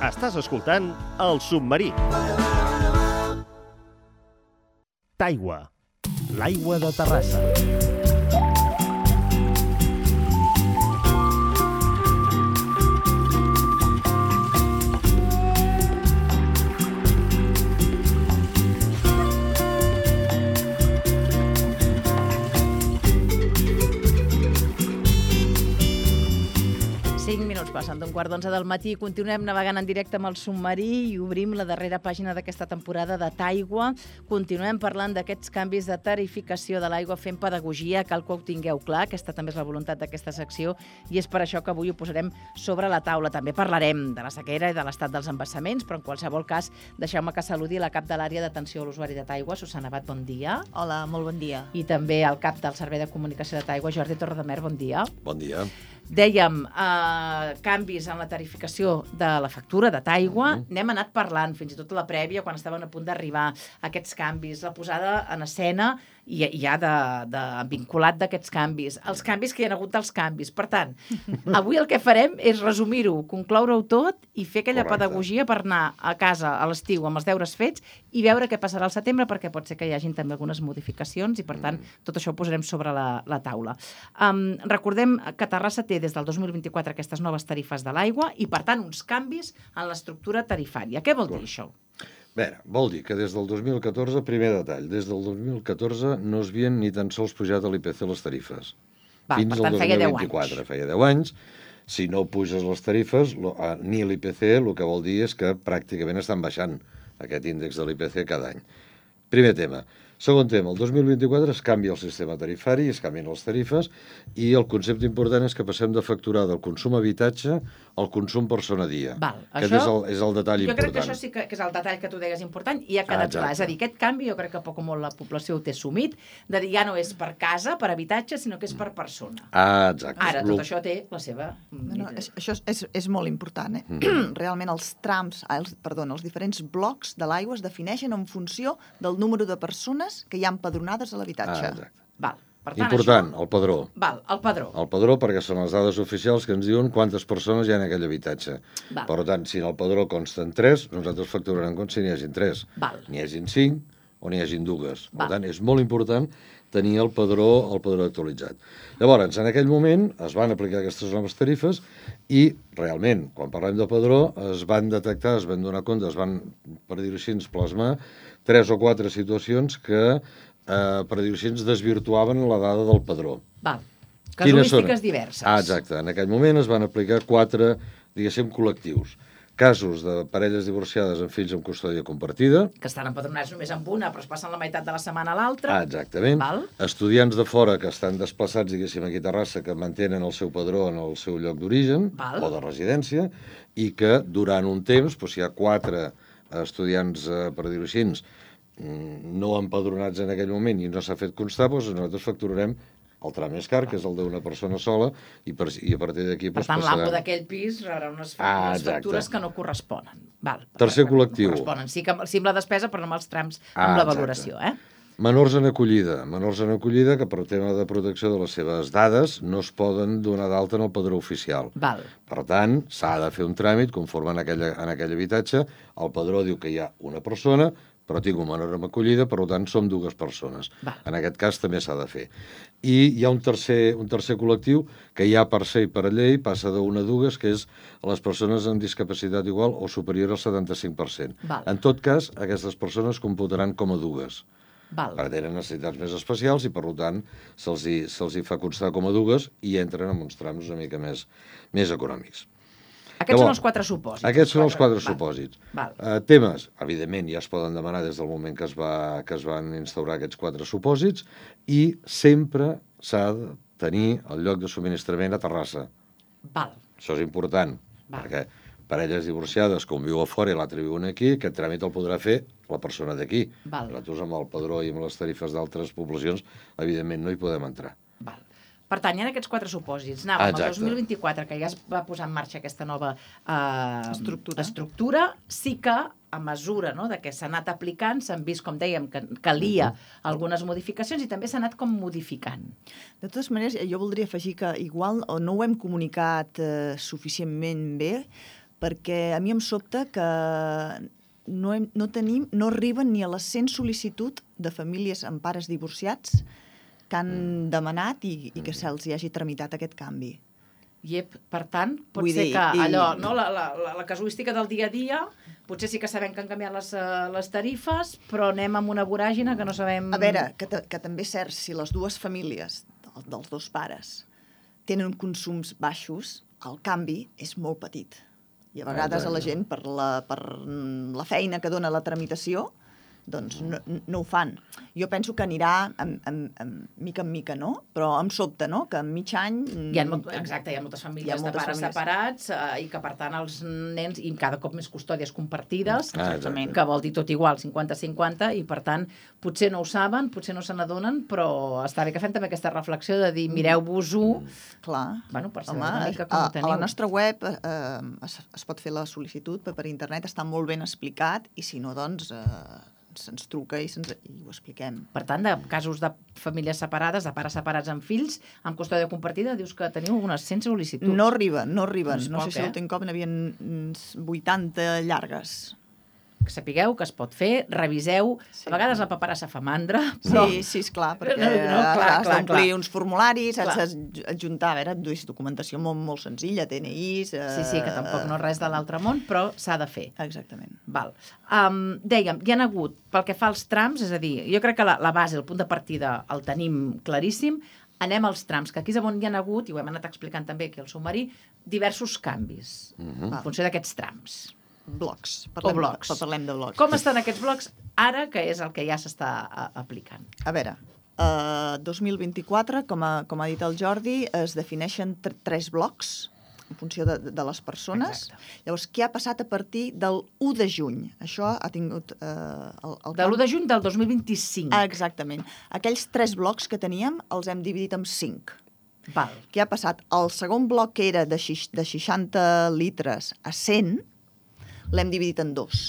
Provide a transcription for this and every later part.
Estàs escoltant El Submarí. Taigua, l'aigua de Terrassa. Passen d'un quart d'11 del matí i continuem navegant en directe amb el submarí i obrim la darrera pàgina d'aquesta temporada de Taigua. Continuem parlant d'aquests canvis de tarificació de l'aigua, fent pedagogia, cal que ho tingueu clar. Aquesta també és la voluntat d'aquesta secció i és per això que avui ho posarem sobre la taula. També parlarem de la sequera i de l'estat dels embassaments, però en qualsevol cas deixeu-me que saludi la cap de l'àrea d'atenció a l'usuari de Taigua, Susana Abad, bon dia. Hola, molt bon dia. I també el cap del Servei de Comunicació de Taigua, Jordi Torredemer, bon dia. Bon dia. Dèiem, canvis en la tarificació de la factura de Taigua. N'hem anat parlant, fins i tot la prèvia, quan estaven a punt d'arribar aquests canvis, la posada en escena i ja vinculat d'aquests canvis, els canvis que hi ha hagut dels canvis. Per tant, avui el que farem és resumir-ho, concloure-ho tot i fer aquella pedagogia per anar a casa a l'estiu amb els deures fets i veure què passarà al setembre, perquè pot ser que hi hagin també algunes modificacions i, per tant, tot això ho posarem sobre la taula. Recordem que Terrassa té des del 2024 aquestes noves tarifes de l'aigua i, per tant, uns canvis en l'estructura tarifària. Què vol dir això? Bé, vol dir que des del 2014, primer detall, des del 2014 no es havien ni tan sols pujat a l'IPC les tarifes. Fins al 2024, feia 10 anys. Si no puges les tarifes, ni l'IPC, el que vol dir és que pràcticament estan baixant aquest índex de l'IPC cada any. Primer tema. Segon tema, el 2024 es canvia el sistema tarifari, es canvien les tarifes i el concepte important és que passem de facturar del consum habitatge al consum persona dia. Aquest és el detall important. Jo crec que això sí que és el detall que tu deies important i ha quedat clar. És a dir, aquest canvi jo crec que poc o molt la població ho té assumit, de dir ja no és per casa, per habitatge, sinó que és per persona. Exacte. Ara, tot això té la seva... Això és molt important. Realment els trams, els diferents blocs de l'aigua es defineixen en funció del número de persones que hi ha empadronades a l'habitatge. Val. Per tant, important, el padró. Val, el padró. El padró, perquè són les dades oficials que ens diuen quantes persones hi ha en aquell habitatge. Val. Per tant, si en el padró consten 3, nosaltres facturarem com si n'hi hagin 3. Val. N'hi hagin 5 o n'hi hagin 2. Per tant, és molt important tenir el padró actualitzat. Llavors, en aquell moment es van aplicar aquestes noves tarifes i, realment, quan parlem de padró, es van detectar, es van donar compte, es van, per dir-ho així, plasmar 3 o 4 situacions que, per dir-ho així, desvirtuaven la dada del padró. Val. Casuístiques diverses. Exacte. En aquell moment es van aplicar 4, diguéssim, col·lectius. Casos de parelles divorciades amb fills amb custòdia compartida. Que estan empadronats només amb una, però es passen la meitat de la setmana a l'altra. Exactament. Val. Estudiants de fora que estan desplaçats, diguéssim, aquí a Terrassa, que mantenen el seu padró en el seu lloc d'origen o de residència i que durant un temps, si hi ha 4 estudiants, per dir-ho així, no empadronats en aquell moment i no s'ha fet constar, nosaltres facturarem el tram més car, que és el d'una persona sola, i a partir d'aquí... Per tant, l'amo d'aquell pis rebrà unes factures que no corresponen. Tercer col·lectiu. Corresponen, sí amb la despesa, però no amb els trams, amb la valoració. Menors en acollida que per tema de protecció de les seves dades no es poden donar d'alta en el padró oficial. Per tant, s'ha de fer un tràmit conforme en aquell habitatge. El padró diu que hi ha una persona, però tinc un menor en acollida, per tant, som 2 persones. En aquest cas també s'ha de fer. I hi ha un tercer col·lectiu que ja per ser i per llei passa d'1 a 2, que és les persones amb discapacitat igual o superior al 75%. En tot cas, aquestes persones computaran com a 2. Perquè tenen necessitats més especials i, per tant, se'ls fa constar com a 2 i entren en uns trams una mica més econòmics. Aquests són els 4 supòsits. Aquests són els 4 supòsits. Temes, evidentment, ja es poden demanar des del moment que es van instaurar aquests 4 supòsits i sempre s'ha de tenir el lloc de subministrament a Terrassa. Això és important, perquè parelles divorciades que un viu a fora i l'altre viu aquí, aquest tràmit el podrà fer la persona d'aquí. Nosaltres amb el padró i amb les tarifes d'altres poblacions, evidentment, no hi podem entrar. Per tant, hi ha aquests 4 supòsits. Anàvem al 2024, que ja es va posar en marxa aquesta nova estructura, sí que a mesura de que s'ha anat aplicant, s'han vist, com dèiem, que calia algunes modificacions i també s'ha anat com modificant. De totes maneres, jo voldria afegir que igual no ho hem comunicat suficientment bé, perquè a mi em sobta que no arriben ni a les 100 sol·licitud de famílies amb pares divorciats que han demanat i que se'ls hi hagi tramitat aquest canvi. Per tant, pot ser que allò, la casuística del dia a dia, potser sí que sabem que han canviat les tarifes, però anem amb una voràgina que no sabem... A veure, que també és cert, si les dues famílies dels dos pares tenen consums baixos, el canvi és molt petit. I a vegades a la gent, per la feina que dona la tramitació, doncs no ho fan. Jo penso que anirà mica en mica, no? Però em sobta, no?, que en mig any... Exacte, hi ha moltes famílies de pares separats i que, per tant, els nens, i cada cop més custòdies compartides, que vol dir tot igual, 50-50, i, per tant, potser no ho saben, potser no se n'adonen, però està bé que fem també aquesta reflexió de dir, mireu-vos-ho... Clar. Bueno, per saber una mica com ho teniu. A la nostra web es pot fer la sol·licitud per internet, està molt ben explicat, i si no, doncs... se'ns truca i ho expliquem. Per tant, de casos de famílies separades, de pares separats amb fills, amb custòdia compartida, dius que teniu unes 100 sol·licituds. No arriben. No sé si l'últim cop n'havien 80 llargues. Que sapigueu que es pot fer, reviseu. A vegades la paperassa fa mandra, però... Sí, esclar, perquè has d'omplir uns formularis, has d'adjuntar, a veure, documentació molt senzilla, DNIs... Sí, que tampoc no és res de l'altre món, però s'ha de fer. Exactament. Val. Dèiem, hi ha hagut, pel que fa als trams, és a dir, jo crec que la base, el punt de partida, el tenim claríssim, anem als trams, que aquí és on hi ha hagut, i ho hem anat explicant també aquí al submarí, diversos canvis, en funció d'aquests trams. Blocs. Parlem de blocs. Com estan aquests blocs ara, que és el que ja s'està aplicant? A veure, 2024, com ha dit el Jordi, es defineixen 3 blocs en funció de les persones. Exacte. Llavors, què ha passat a partir del 1 de juny? Això ha tingut... de l'1 de juny del 2025. Exactament. Aquells 3 blocs que teníem els hem dividit en 5. Val. Què ha passat? El segon bloc, que era de 60 litres a 100, l'hem dividit en 2.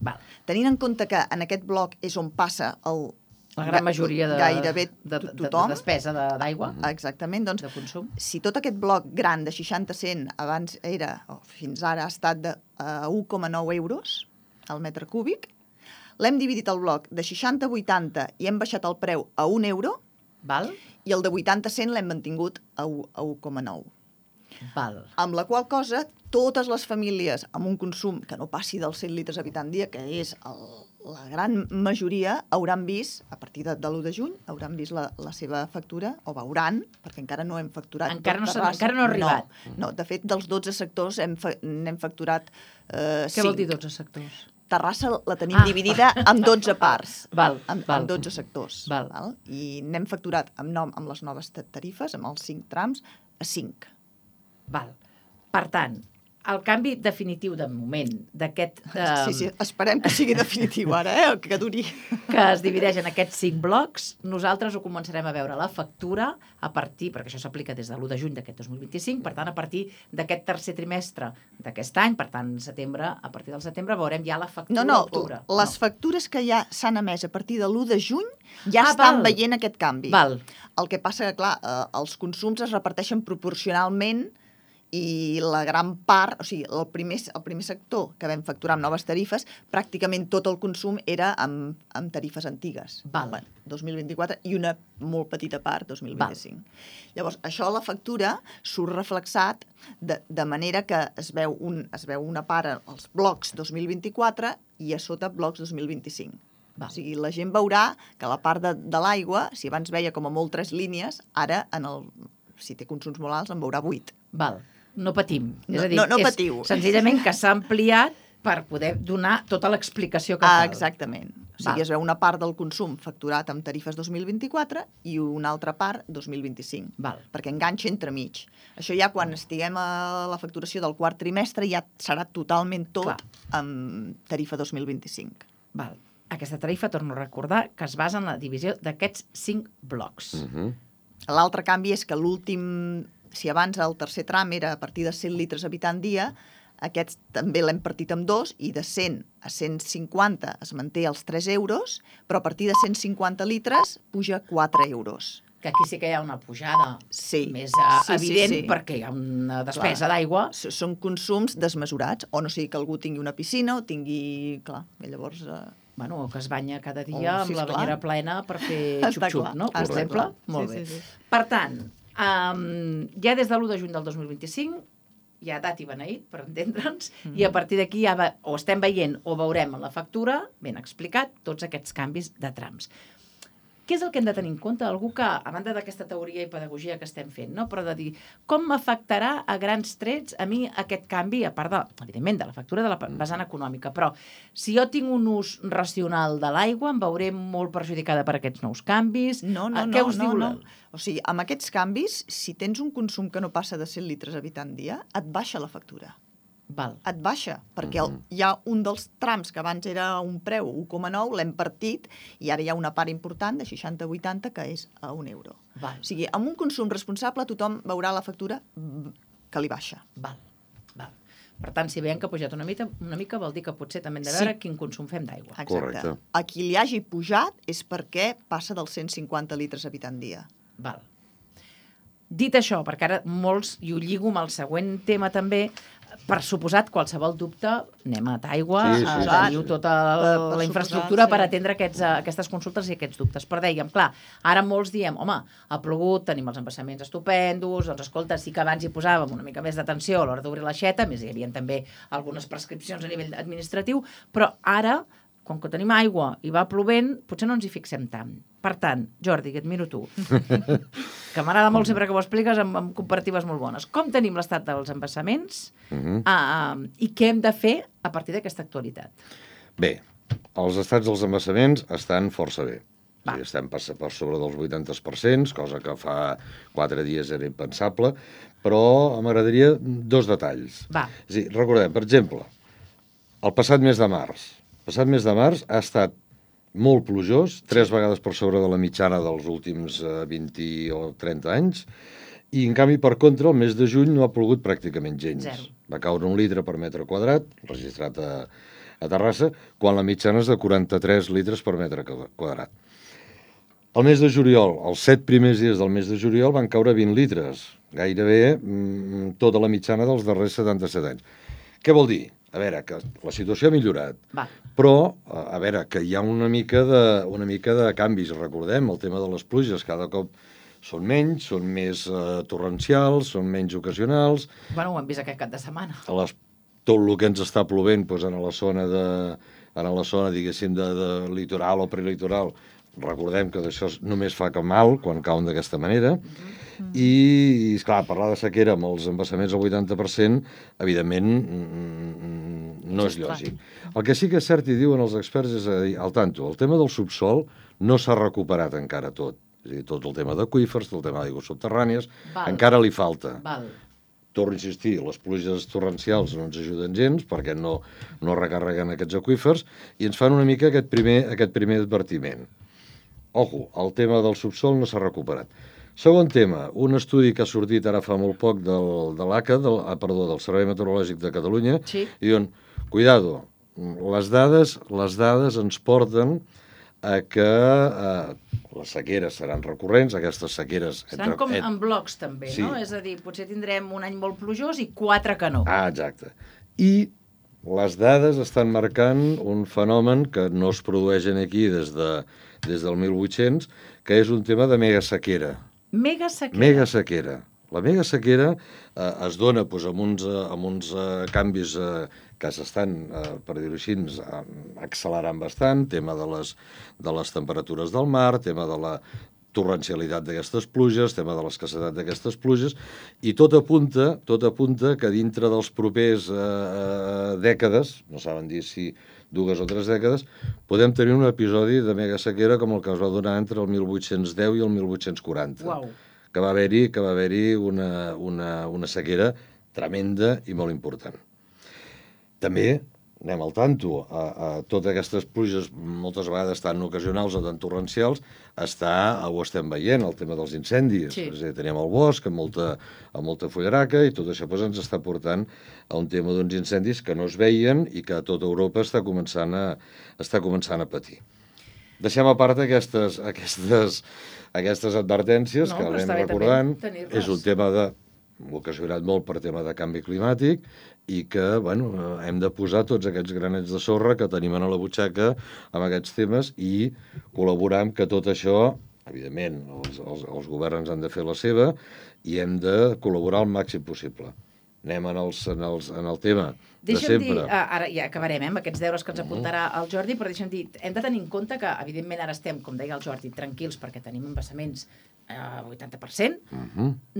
Val. Tenint en compte que en aquest bloc és on passa la gran majoria gairebé tothom. De despesa d'aigua. Exactament. Doncs, de consum. Si tot aquest bloc gran de 60-100 abans era, fins ara ha estat de 1,9 euros al metre cúbic, l'hem dividit el bloc de 60-80 i hem baixat el preu a 1 euro. Val. I el de 80-100 l'hem mantingut a 1,9. Val. Amb la qual cosa, totes les famílies amb un consum que no passi dels 100 litres habitant dia, que és la gran majoria, hauran vist, a partir de l'1 de juny, hauran vist la seva factura, o veuran, perquè encara no hem facturat. Encara no ha arribat. No, de fet, dels 12 sectors n'hem facturat 5. Què vol dir 12 sectors? Terrassa la tenim dividida en 12 parts, en 12 sectors. Val. I n'hem facturat amb les noves tarifes, amb els 5 trams, a 5. Val. Per tant, el canvi definitiu de moment d'aquest... Sí, esperem que sigui definitiu ara, que duri. Que es divideix en aquests 5 blocs. Nosaltres ho començarem a veure la factura a partir, perquè això s'aplica des de l'1 de juny d'aquest 2025, per tant, a partir d'aquest tercer trimestre d'aquest any, per tant, a partir del setembre, veurem ja la factura d'octubre. Les factures que ja s'han emès a partir de l'1 de juny ja estan veient aquest canvi. Val. El que passa que, clar, els consums es reparteixen proporcionalment i la gran part, o sigui, el primer sector que vam facturar amb noves tarifes, pràcticament tot el consum era amb tarifes antigues. Val. 2024 i una molt petita part, 2025. Val. Llavors, això a la factura surt reflexat de manera que es veu una part als blocs 2024 i a sota blocs 2025. Val. O sigui, la gent veurà que la part de l'aigua, si abans veia com a molt 3 línies, ara, si té consums molt alts, en veurà 8. Val. No patim. És a dir, no patiu. Senzillament que s'ha ampliat per poder donar tota l'explicació que cal. Exactament. O sigui, es veu una part del consum facturat amb tarifes 2024 i una altra part 2025. Val. Perquè enganxa entremig. Això ja quan estiguem a la facturació del quart trimestre ja serà totalment tot amb tarifa 2025. Val. Aquesta tarifa, torno a recordar, que es basa en la divisió d'aquests 5 blocs. L'altre canvi és que l'últim... Si abans el tercer tram era a partir de 100 litres habitant dia, aquest també l'hem partit en 2 i de 100 a 150 es manté els 3 euros, però a partir de 150 litres puja 4 euros. Que aquí sí que hi ha una pujada més evident perquè hi ha una despesa d'aigua. Són consums desmesurats, o no sigui que algú tingui una piscina o tingui... Clar, i llavors... Bueno, que es banya cada dia amb la banyera plena per fer xup-xup, no? Per exemple. Molt bé. Per tant, ja des de l'1 de juny del 2025 hi ha dat i beneït, per entendre'ns, i a partir d'aquí ja o estem veient o veurem en la factura, ben explicat, tots aquests canvis de trams. Què és el que hem de tenir en compte? Algú que, a banda d'aquesta teoria i pedagogia que estem fent, no? Però de dir, com m'afectarà a grans trets a mi aquest canvi, a part, evidentment, de la factura de la vessant econòmica, però si jo tinc un ús racional de l'aigua, em veuré molt perjudicada per aquests nous canvis? No. O sigui, amb aquests canvis, si tens un consum que no passa de 100 litres habitant dia, et baixa la factura. Et baixa, perquè hi ha un dels trams que abans era un preu 1,9, l'hem partit, i ara hi ha una part important de 60-80 que és a €1. O sigui, amb un consum responsable tothom veurà la factura que li baixa. Per tant, si veiem que ha pujat una mica vol dir que potser també hem de veure quin consum fem d'aigua. Exacte. A qui li hagi pujat és perquè passa dels 150 litres habitant dia. Dit això, perquè ara molts, i ho lligo amb el següent tema també, per suposat, qualsevol dubte, anem a Taigua, teniu tota la infraestructura per atendre aquestes consultes i aquests dubtes. Però dèiem, clar, ara molts diem, home, ha plogut, tenim els embassaments estupendos, doncs escolta, sí que abans hi posàvem una mica més d'atenció a l'hora d'obrir l'aixeta, més hi havia també algunes prescripcions a nivell administratiu, però ara, com que tenim aigua i va plovent, potser no ens hi fixem tant. Per tant, Jordi, et miro tu, que m'agrada molt sempre que ho expliques amb comparatives molt bones. Com tenim l'estat dels embassaments i què hem de fer a partir d'aquesta actualitat? Bé, els estats dels embassaments estan força bé. Estem per sobre dels 80%, cosa que fa 4 dies era impensable, però m'agradaria 2 detalls. És a dir, recordem, per exemple, el passat mes de març. El passat mes de març ha estat molt plujós, 3 vegades per sobre de la mitjana dels últims 20 o 30 anys, i en canvi, per contra, el mes de juny no ha plogut pràcticament gens. Va caure 1 litre per metre quadrat, registrat a Terrassa, quan la mitjana és de 43 litres per metre quadrat. El mes de juliol, els 7 primers dies del mes de juliol, van caure 20 litres, gairebé tota la mitjana dels darrers 77 anys. Què vol dir? A veure, que la situació ha millorat, però, a veure, que hi ha una mica de canvis. Recordem, el tema de les pluges cada cop són menys, són més torrencials, són menys ocasionals. Bueno, ho hem vist aquest cap de setmana. Tot el que ens està plovent en la zona, diguéssim, de litoral o prelitoral, recordem que d'això només fa que mal quan cauen d'aquesta manera. I, esclar, parlar de sequera amb els embassaments al 80%, evidentment, no és lògic. El que sí que és cert, i diuen els experts, és a dir, al tanto, el tema del subsol no s'ha recuperat encara tot. És a dir, tot el tema d'aqüífers, tot el tema d'aigües subterrànies, encara li falta. Torno a insistir, les pluges torrencials no ens ajuden gens perquè no recarreguen aquests aqüífers i ens fan una mica aquest primer advertiment. Ojo, el tema del subsol no s'ha recuperat. Segon tema, un estudi que ha sortit ara fa molt poc de l'ACA, del Servei Meteorològic de Catalunya, i diuen, cuidado, les dades ens porten a que les sequeres seran recurrents, aquestes sequeres... Seran com en blocs, també, no? És a dir, potser tindrem un any molt plujós i 4 que no. Exacte. I les dades estan marcant un fenomen que no es produeix aquí des del 1800, que és un tema de megasequera. Megasequera. La megasequera es dona amb uns canvis que s'estan, per dir-ho així, accelerant bastant, tema de les temperatures del mar, tema de la torrencialitat d'aquestes pluges, tema de l'escassetat d'aquestes pluges, i tot apunta que dintre dels propers dècades, no saben dir si 2 o 3 dècades, podem tenir un episodi de megasequera com el que es va donar entre el 1810 i el 1840. Que va haver-hi una sequera tremenda i molt important. També anem al tanto, a totes aquestes pluges, moltes vegades tan ocasionals o tan torrencials, ho estem veient, el tema dels incendis. És a dir, tenim el bosc amb molta fullaraca i tot això ens està portant a un tema d'uns incendis que no es veien i que a tota Europa està començant a patir. Deixem a part aquestes aquestes advertències que anem recordant. És un tema ocasionat molt per tema de canvi climàtic i que, bueno, hem de posar tots aquests granets de sorra que tenim a la butxaca amb aquests temes i col·laborar amb que tot això, evidentment, els governs han de fer la seva i hem de col·laborar al màxim possible. Anem en el tema de sempre. Deixa'm dir, ara ja acabarem amb aquests deures que ens apuntarà el Jordi, però deixa'm dir, hem de tenir en compte que, evidentment, ara estem, com deia el Jordi, tranquils perquè tenim embassaments 80%,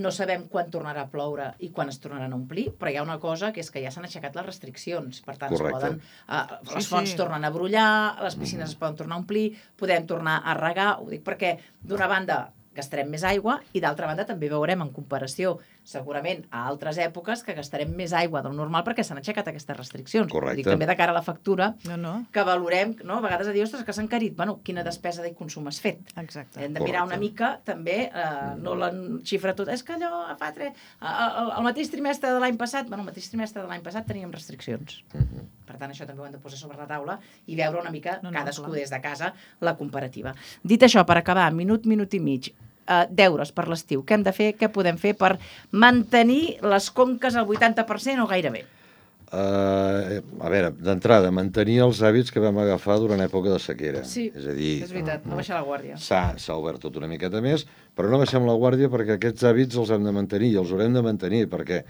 no sabem quan tornarà a ploure i quan es tornaran a omplir, però hi ha una cosa que és que ja s'han aixecat les restriccions, per tant, les fonts tornen a brollar, les piscines es poden tornar a omplir, podem tornar a regar, ho dic perquè, d'una banda, gastarem més aigua i d'altra banda també veurem en comparació segurament a altres èpoques que gastarem més aigua del normal perquè s'han aixecat aquestes restriccions. Correcte. Dic també de cara a la factura que valorem, no? A vegades a dir, ostres, que s'ha encarit, bueno, quina despesa de consum has fet. Exacte. Hem de mirar una mica també, no la xifra tot, és que allò fa el mateix trimestre de l'any passat, bueno, el mateix trimestre de l'any passat teníem restriccions. Per tant, això també ho hem de posar sobre la taula i veure una mica cadascú des de casa la comparativa. Dit això, per acabar, minut i mig, deures per l'estiu. Què hem de fer? Què podem fer per mantenir les conques al 80% o gairebé? A veure, d'entrada, mantenir els hàbits que vam agafar durant època de sequera. Sí, és a dir, és veritat, no baixar la guàrdia. S'ha obert tot una miqueta més, però no baixem la guàrdia perquè aquests hàbits els hem de mantenir i els haurem de mantenir perquè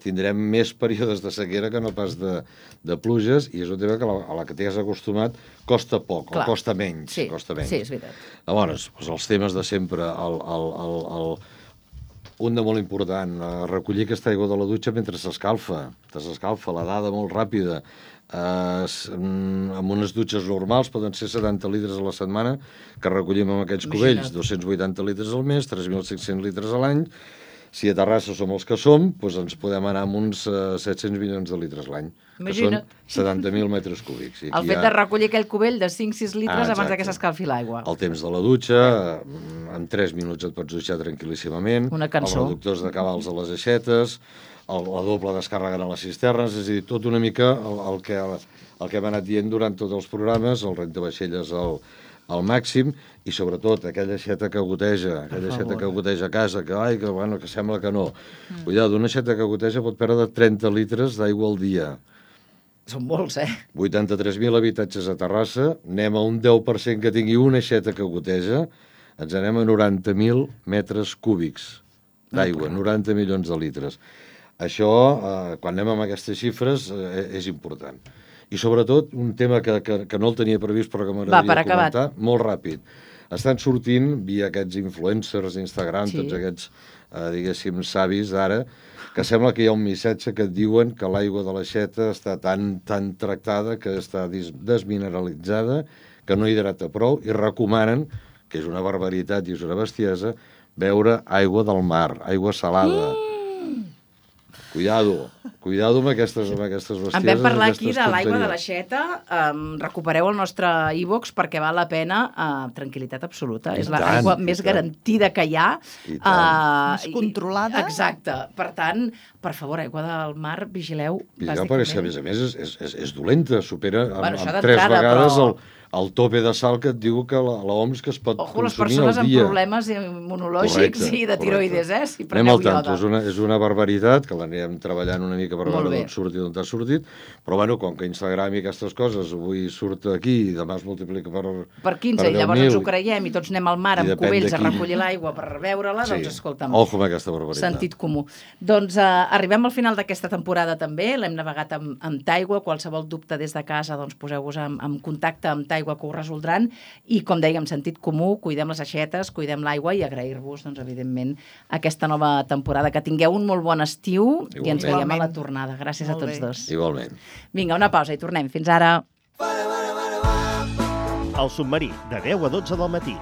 tindrem més períodes de sequera que no pas de pluges i és un tema que a la que t'has acostumat costa poc, o costa menys. Sí, és veritat. Llavors, els temes de sempre, un de molt important, recollir aquesta aigua de la dutxa mentre s'escalfa, la dada molt ràpida. Amb unes dutxes normals poden ser 70 litres a la setmana que recollim amb aquests cubells, 280 litres al mes, 3.500 litres a l'any. Si a Terrassa som els que som, doncs ens podem anar amb uns 700 milions de litres l'any, que són 70.000 metres cúbics. El fet de recollir aquell cubell de 5-6 litres abans que s'escalfi l'aigua. El temps de la dutxa, en 3 minuts et pots dutxar tranquil·líssimament. Una cançó. Els reductors de cabals a les aixetes, la doble descàrrega a les cisternes, és a dir, tot una mica el que hem anat dient durant tots els programes, el rentavaixelles al màxim, i sobretot aquella aixeta que goteja, a casa, que sembla que no. Cuidado, una aixeta que goteja pot perdre 30 litres d'aigua al dia. Són molts, 83.000 habitatges a Terrassa, anem a un 10% que tingui una aixeta que goteja, ens anem a 90.000 metres cúbics d'aigua, 90 milions de litres. Això, quan anem amb aquestes xifres, és important. I sobretot, un tema que no el tenia previst però que m'agradaria comentar, molt ràpid. Estan sortint, via aquests influencers d'Instagram, tots aquests, diguéssim, savis d'ara, que sembla que hi ha un missatge que et diuen que l'aigua de l'aixeta està tan tractada, que està desmineralitzada, que no hidrata prou, i recomanen, que és una barbaritat i és una bestiesa, beure aigua del mar, aigua salada. Cuidado amb aquestes bestieses. En vam parlar aquí de l'aigua de l'aixeta. Recupereu el nostre iVox perquè val la pena. Tranquil·litat absoluta. És l'aigua més garantida que hi ha. Més controlada. Exacte. Per tant, per favor, aigua del mar, vigileu. Perquè, a més, és dolenta. Supera amb 3 vegades el tope de sal que et diu que l'OMS que es pot consumir al dia. Les persones amb problemes immunològics i de tiroides, si preneu ioda. És una barbaritat, que l'anirem treballant una mica per veure d'on surt i d'on ha sortit, però bueno, com que Instagram i aquestes coses avui surt aquí i demà es multiplica per 15 i llavors ens ho creiem i tots anem al mar amb cubells a recollir l'aigua per veure-la, doncs escolta'm. Ojo amb aquesta barbaritat. Sentit comú. Doncs arribem al final d'aquesta temporada també, l'hem navegat amb Taigua, qualsevol dubte des de casa, doncs poseu-vos en contacte amb Taigua que ho resoldran i, com dèiem, sentit comú, cuidem les aixetes, cuidem l'aigua i agrair-vos, doncs, evidentment, aquesta nova temporada. Que tingueu un molt bon estiu i ens veiem a la tornada. Gràcies a tots dos. Igualment. Vinga, una pausa i tornem. Fins ara. El submarí, de 10 a 12 del matí.